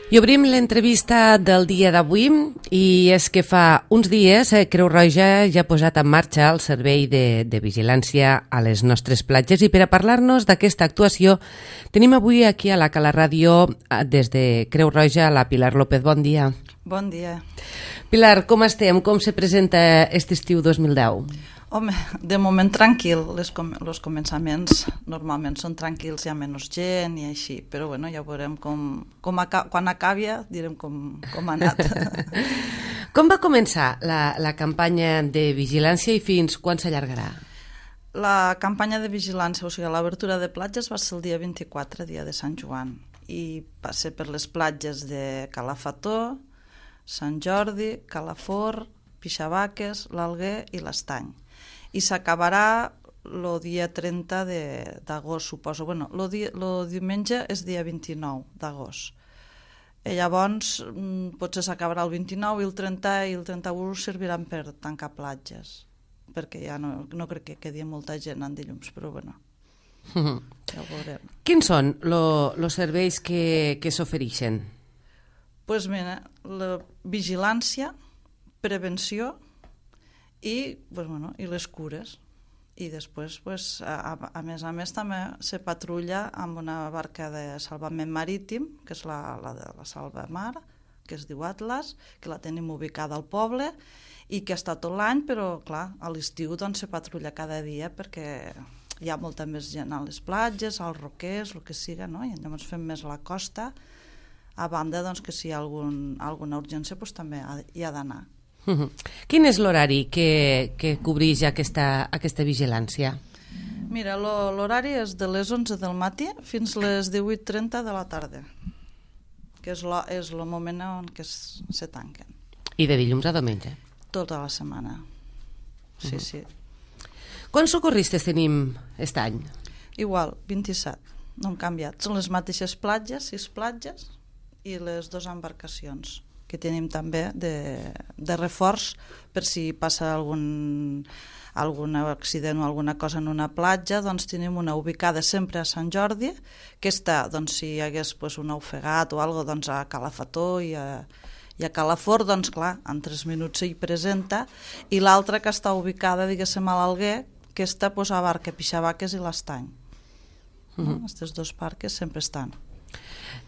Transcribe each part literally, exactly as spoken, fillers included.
I obrim l'entrevista del dia d'avui i és que fa uns dies eh, Creu Roja ja ha posat en marxa el servei de, de vigilància a les nostres platges i per a parlar-nos d'aquesta actuació tenim avui aquí a la Cala Ràdio des de Creu Roja la Pilar López. Bon dia. Bon dia. Pilar, com estem? Com se presenta aquest estiu dos mil deu? Home, de moment tranquil, els com començaments normalment són tranquils, hi ha menys gent i així, però bueno, ja veurem com, com aca quan acabi direm com, com ha anat. Com va començar la, la campanya de vigilància i fins quan s'allargarà? La campanya de vigilància, o sigui, l'obertura de platges va ser el dia vint-i-quatre, dia de Sant Joan, i va ser per les platges de Calafató, Sant Jordi, Calafort, Pixavaques, l'Alguer i l'Estany. I s'acabarà el dia trenta d'agost, suposo. Bueno, el diumenge és dia vint-i-nou d'agost. I llavors potser s'acabarà el vint-i-nou i el trenta i el trenta-u serviran per tancar platges, perquè ja no, no crec que quedi molta gent en dilluns, però bueno, ja ho veurem. Quins són els serveis que, que s'ofereixen? Doncs mira, la vigilància, prevenció, i, pues, bueno, i les cures. I després, pues, a, a més a més, també se patrulla amb una barca de salvament marítim, que és la, la de la Salvamar, que es diu Atlas, que la tenim ubicada al poble i que està tot l'any, però clar, a l'estiu doncs, se patrulla cada dia perquè hi ha molta més gent a les platges, als roquers, el que siga, no? I llavors fem més a la costa, a banda doncs, que si hi ha algun, alguna urgència doncs, també hi ha d'anar. Uh-huh. Quin és l'horari que, que cobreix aquesta, aquesta vigilància? Mira, l'horari és de les onze del matí fins les divuit trenta de la tarda, que és el moment en què es, se tanquen. I de dilluns a diumenge? Tota la setmana, sí, uh-huh. sí. Quants socorristes tenim aquest any? Igual, vint-i-set, no han canviat. Són les mateixes platges, sis platges i les dues embarcacions que tenim també de, de reforç per si passa algun, algun accident o alguna cosa en una platja, doncs tenim una ubicada sempre a Sant Jordi, que està, doncs, si hi hagués pues, un ofegat o alguna cosa, doncs, a Calafató i a, i a Calafort, doncs clar, en tres minuts s'hi presenta, i l'altra que està ubicada, diguéssim, a l'Alguer, que està pues, a Barca, Pixavaques i l'Estany. Uh-huh. No? Aquests dos parques sempre estan.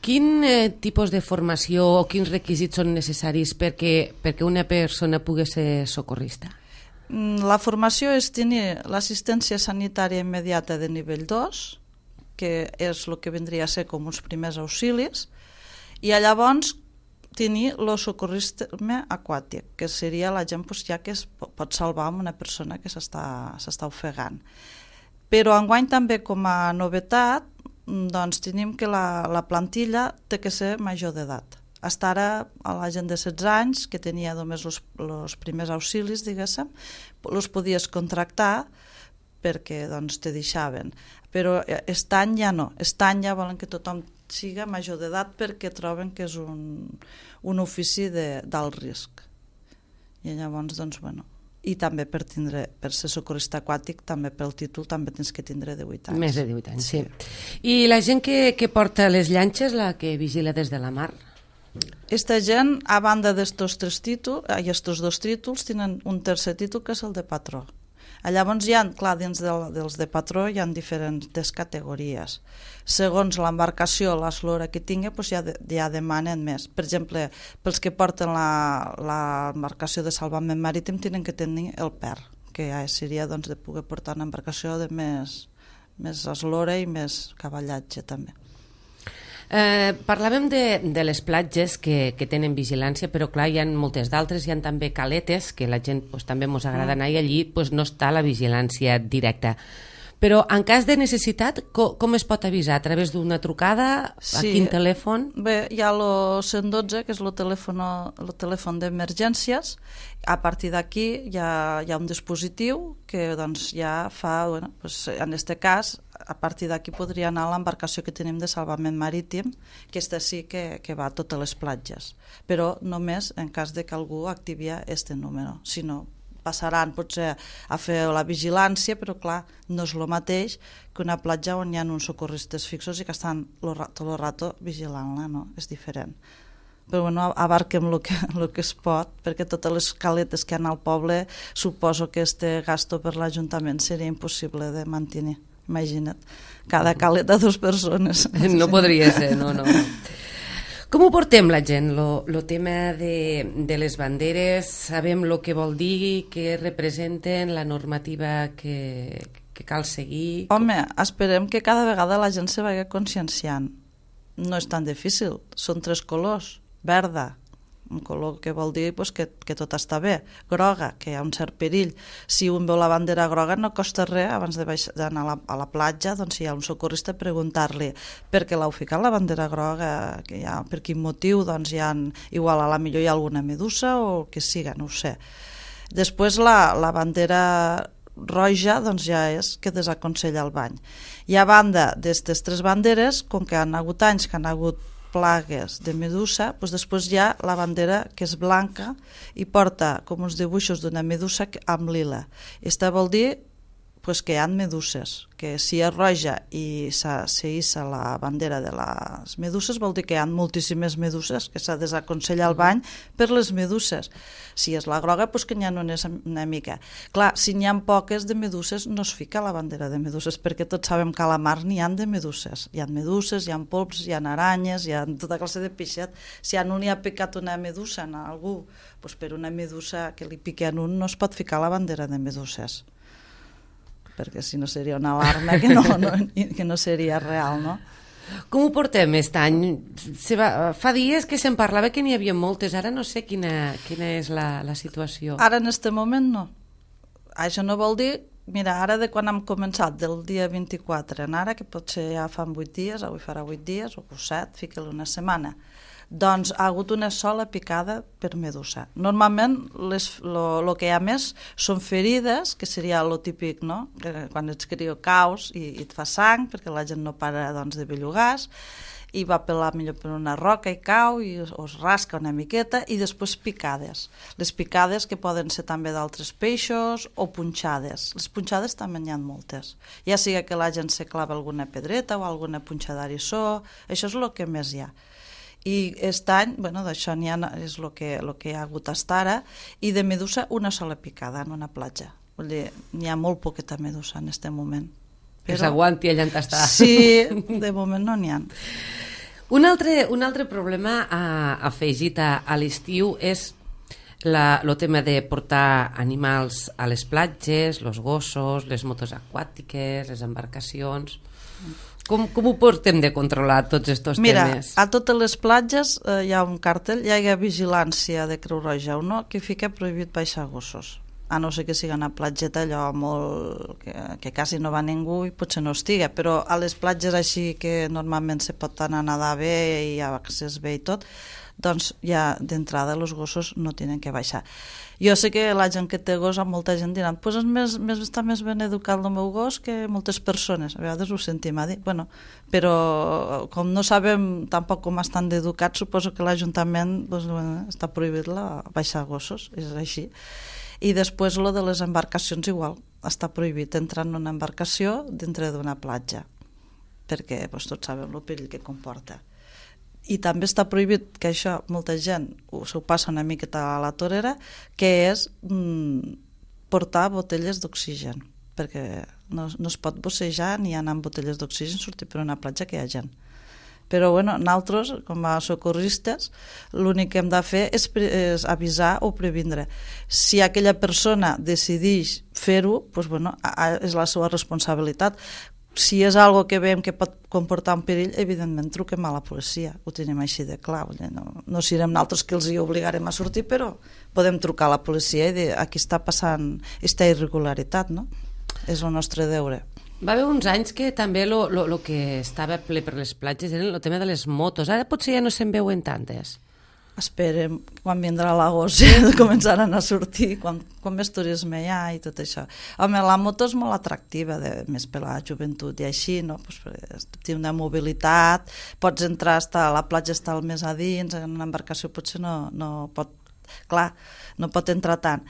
Quin eh, tipus de formació o quins requisits són necessaris perquè, perquè una persona pugui ser socorrista? La formació és tenir l'assistència sanitària immediata de nivell dos, que és el que vindria a ser com uns primers auxilis, i llavors tenir el socorrisme aquàtic, que seria la gent pues, ja que es pot salvar amb una persona que s'està ofegant. Però enguany també com a novetat doncs tenim que la, la plantilla té que ser major d'edat. Fins ara, a la gent de setze anys, que tenia només els primers auxilis, diguéssim, els podies contractar perquè doncs, te deixaven. Però aquest any ja no. Aquest any ja volen que tothom siga major d'edat perquè troben que és un, un ofici d'alt risc. I llavors, doncs, bueno... I també per tindre per ser socorrista aquàtic, també pel títol també tens que tindre divuit anys. Més de divuit anys, sí. sí. I la gent que, que porta les llanxes, la que vigila des de la mar? Aquesta gent, a banda d'estos tres títols, i estos dos títols, tenen un tercer títol que és el de patró. Llavors hi ha, clar, dins del, dels de patró hi ha diferents categories. Segons l'embarcació, l'eslora que tingui, doncs ja, de, ja demanen més. Per exemple, pels que porten l'embarcació de salvament marítim tenen que tenir el P E R, que ja seria doncs, de poder portar una embarcació de més, més eslora i més cavallatge també. Eh, parlàvem de, de les platges que, que tenen vigilància, però clar, hi ha moltes d'altres, hi ha també caletes, que la gent pues, també ens agrada anar i allí pues, no està la vigilància directa. Però en cas de necessitat, com, com es pot avisar? A través d'una trucada? Sí. A quin telèfon? Bé, hi ha el cent dotze, que és el telèfon, el telèfon d'emergències. A partir d'aquí hi, hi ha un dispositiu que doncs, ja fa, bueno, pues, en aquest cas, a partir d'aquí podria anar a l'embarcació que tenim de salvament marítim, que aquesta sí que, que va a totes les platges, però només en cas de que algú activi aquest número, si no passaran potser a fer la vigilància, però clar, no és el mateix que una platja on hi ha uns socorristes fixos i que estan tot el rato vigilant-la, no? És diferent. però bueno, abarquem el que, el que es pot, perquè totes les caletes que hi ha al poble, suposo que este gasto per l'Ajuntament seria impossible de mantenir. Imagina't, cada caleta dos persones. No podria ser, no, no. Com ho portem la gent, el tema de, de les banderes? Sabem el que vol dir, què representen, la normativa que, que cal seguir? Home, esperem que cada vegada la gent se vagi conscienciant. No és tan difícil, són tres colors. Verda, un color que vol dir pues, que, que tot està bé. Groga, que hi ha un cert perill. Si un veu la bandera groga no costa res, abans d'anar a, la, a la platja, doncs si hi ha un socorrista, preguntar-li per què l'heu ficat la bandera groga, que hi ha, per quin motiu, doncs hi ha, igual a la millor hi ha alguna medusa o el que siga, no ho sé. Després la, la bandera roja doncs ja és que desaconsella el bany. I a banda d'aquestes tres banderes, com que han hagut anys que han hagut plagues de medusa, doncs després hi ha la bandera que és blanca i porta com uns dibuixos d'una medusa amb lila. Aquesta vol dir pues, que hi ha meduses, que si és roja i s'hissa la bandera de les meduses vol dir que hi ha moltíssimes meduses, que s'ha de desaconsellar el bany per les meduses. Si és la groga, pues, que n'hi ha una, una mica. Clar, si n'hi ha poques de meduses no es fica la bandera de meduses, perquè tots sabem que a la mar n'hi ha de meduses. Hi ha meduses, hi ha polps, hi ha aranyes, hi ha tota classe de peixet. Si a un li ha picat una medusa a algú, pues, per una medusa que li piqui a un no es pot ficar la bandera de meduses, perquè si no seria una alarma que no, no, que no seria real, no? Com ho portem aquest any? Se va, fa dies que se'n parlava que n'hi havia moltes, ara no sé quina, quina és la, la situació. Ara en aquest moment no. Això no vol dir, mira, ara de quan hem començat, del dia vint-i-quatre en ara, que potser ja fan vuit dies, avui farà vuit dies, o set, fica-li una setmana, doncs ha hagut una sola picada per medusa. Normalment el que hi ha més són ferides, que seria el típic, no? Que quan ets crió caus i, i et fa sang, perquè la gent no para doncs, de bellugar, i va pelar millor per una roca i cau i es, es rasca una miqueta, i després picades. Les picades que poden ser també d'altres peixos o punxades. Les punxades també n'hi ha moltes. Ja sigui que la gent se clava alguna pedreta o alguna punxada d'arissó, això és el que més hi ha. I aquest any, bueno, d'això n'hi ha, és el que, el que hi ha hagut fins ara, i de medusa una sola picada en una platja. Vull dir, n'hi ha molt poqueta medusa en aquest moment. Però... Que s'aguanti allà on està. Sí, de moment no n'hi ha. Un altre, un altre problema uh, afegit a, a l'estiu és el tema de portar animals a les platges, els gossos, les motos aquàtiques, les embarcacions... Com, com ho portem de controlar tots aquests Mira, temes? Mira, a totes les platges eh, hi ha un cartell, hi ha vigilància de Creu Roja o no, que fica prohibit baixar gossos. A no ser que sigui una platgeta allò molt... que, que quasi no va ningú i potser no estiga, però a les platges així que normalment se pot anar a nedar bé i hi ha accés bé i tot, doncs ja d'entrada els gossos no tenen que baixar. Jo sé que la gent que té gos, molta gent dirà pues és més, més, està més ben educat el meu gos que moltes persones, a vegades ho sentim a dir, bueno, però com no sabem tampoc com estan d'educats, suposo que l'Ajuntament pues, bueno, està prohibit la, baixar gossos, és així. I després lo de les embarcacions igual, està prohibit entrar en una embarcació dintre d'una platja, perquè pues, tots sabem el perill que comporta. I també està prohibit, que això molta gent s'ho passa una miqueta a la torera, que és mm, portar botelles d'oxigen, perquè no, no es pot bossejar ni anar amb botelles d'oxigen, sortir per una platja que hi ha gent. Però bueno, nosaltres, com a socorristes, l'únic que hem de fer és, és avisar o previndre. Si aquella persona decideix fer-ho, doncs, bueno, és la seva responsabilitat. Si és algo que veiem que pot comportar un perill, evidentment truquem a la policia, ho tenim així de clar. No, no serem nosaltres que els hi obligarem a sortir, però podem trucar a la policia i dir aquí està passant aquesta irregularitat, no? És el nostre deure. Va haver uns anys que també el que estava ple per les platges era el tema de les motos. Ara potser ja no se'n veuen tantes. Esperem, quan vindrà l'agost, començaran a sortir, quan, quan més turisme hi ha i tot això. Home, la moto és molt atractiva, de, més per la joventut i així, no? Pues, té una mobilitat, pots entrar, estar, a la platja està al més a dins, en una embarcació potser no, no pot, clar, no pot entrar tant,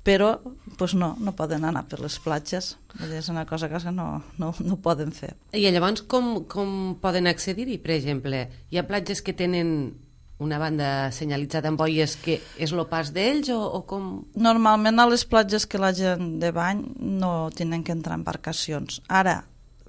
però pues no, no poden anar per les platges, és una cosa que no, no, no poden fer. I llavors com, com poden accedir-hi, per exemple? Hi ha platges que tenen una banda senyalitzada amb boies que és el pas d'ells o, o com? Normalment a les platges que la gent de bany no tenen que entrar embarcacions. Ara,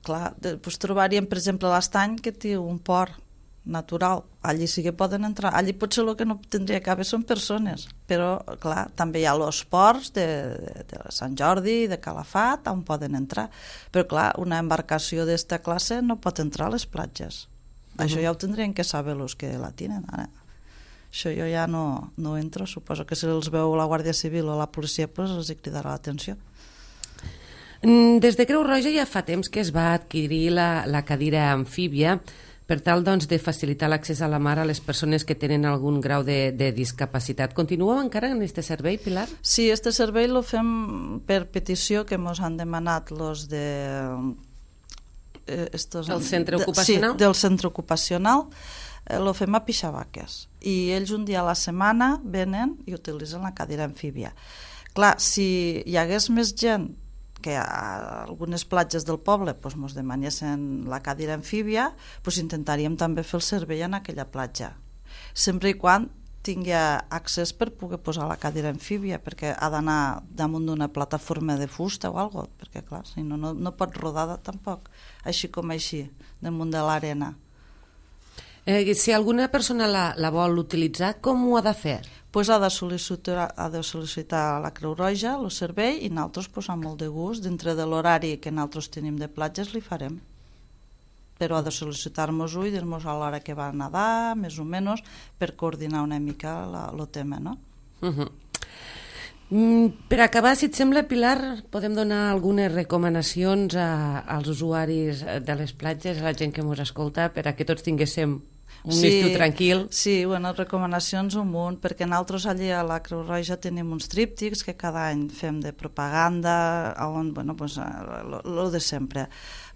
clar, doncs trobaríem, per exemple, l'Estany, que té un port natural. Allí sí que poden entrar. Allí potser el que no tindria que haver són persones, però, clar, també hi ha els ports de, de, de Sant Jordi, de Calafat, on poden entrar. Però, clar, una embarcació d'esta classe no pot entrar a les platges. Uh-huh. Això ja ho tindrien que saber els que la tenen. Ara, això jo ja no, no entro. Suposo que si els veu la Guàrdia Civil o la policia, doncs els hi cridarà l'atenció. Des de Creu Roja ja fa temps que es va adquirir la, la cadira amfíbia per tal doncs, de facilitar l'accés a la mar a les persones que tenen algun grau de, de discapacitat. Continueu encara en aquest servei, Pilar? Sí, aquest servei el fem per petició que ens han demanat los de... Eh, estos, el centre de, ocupacional? Sí, del centre ocupacional. Eh, lo fem a Pixabaques. I ells un dia a la setmana venen i utilitzen la cadira amfíbia. Clar, si hi hagués més gent que a algunes platges del poble pues, mos demanessin la cadira amfíbia, pues, intentaríem també fer el servei en aquella platja. Sempre i quan tingui accés per poder posar la cadira amfíbia, perquè ha d'anar damunt d'una plataforma de fusta o alguna cosa, perquè clar, si no, no, no pot rodar tampoc, així com així, damunt de l'arena. Eh, si alguna persona la, la vol utilitzar, com ho ha de fer? Pues ha de sol·licitar, ha de sol·licitar a la Creu Roja el servei i nosaltres pues, amb molt de gust, dintre de l'horari que nosaltres tenim de platges, li farem. Però ha de sol·licitar-nos-ho i dir-nos a l'hora que va a nedar, més o menys, per coordinar una mica el tema, no? Uh-huh. Mm, per acabar, si et sembla, Pilar, podem donar algunes recomanacions a, als usuaris de les platges, a la gent que ens escolta, per a que tots tinguéssim un sí, estiu tranquil. Sí, bueno, recomanacions un munt, perquè nosaltres allí a la Creu Roja tenim uns tríptics que cada any fem de propaganda, on, bueno, pues, lo de sempre,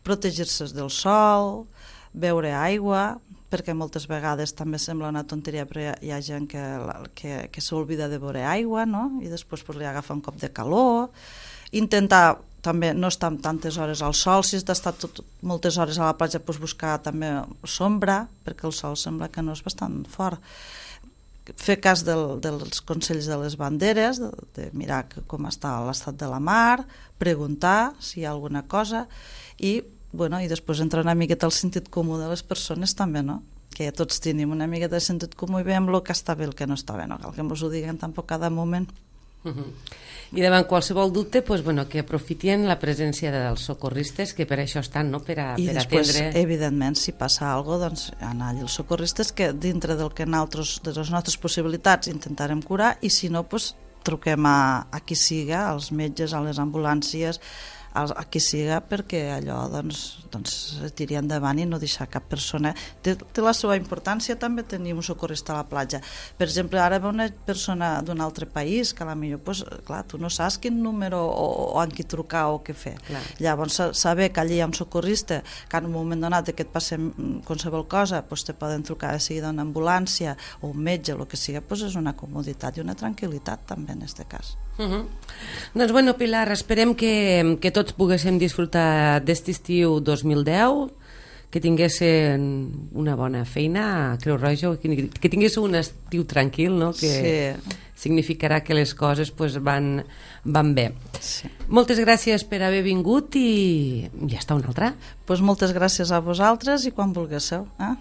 protegir-se del sol, beure aigua, perquè moltes vegades també sembla una tonteria, però hi ha, hi ha gent que, que, que s'oblida de beure aigua, no? I després pues, li agafa un cop de calor, intentar també no estar tantes hores al sol, si has d'estar moltes hores a la platja, doncs buscar també sombra, perquè el sol sembla que no és bastant fort. Fer cas del, dels consells de les banderes, de, de mirar que, com està l'estat de la mar, preguntar si hi ha alguna cosa, i, bueno, i després entrar una miqueta al sentit comú de les persones també, no? Que tots tenim una miqueta de sentit comú i veiem el que està bé i el que no està bé, no cal que ens ho diguen tampoc cada moment. Uh-huh. I davant qualsevol dubte, pues, bueno, que aprofitin la presència dels socorristes, que per això estan, no? per, a, I per després, atendre... evidentment, si passa alguna cosa, doncs anar allà els socorristes, que dintre del que nosaltres, de les nostres possibilitats intentarem curar, i si no, pues, truquem a, a qui siga, als metges, a les ambulàncies, a, a qui siga, perquè allò doncs, doncs tiri endavant i no deixar cap persona. Té, té la seva importància també tenir un socorrista a la platja. Per exemple, ara ve una persona d'un altre país que a la millor, pues, clar, tu no saps quin número o, o en qui trucar o què fer. Clar. Llavors, saber que allí hi ha un socorrista, que en un moment donat que et passem qualsevol cosa, pues, te poden trucar de seguida una ambulància o un metge, el que sigui, pues, és una comoditat i una tranquil·litat també en aquest cas. Uh-huh. Doncs bueno, Pilar, esperem que, que tots poguéssim disfrutar d'aquest estiu dos mil deu, que tinguessin una bona feina a Creu Roja, que, que tinguessin un estiu tranquil, no? Que sí. Significarà que les coses pues, van, van bé. Sí. Moltes gràcies per haver vingut i ja està una altra. Pues moltes gràcies a vosaltres i quan vulguéssiu. Eh?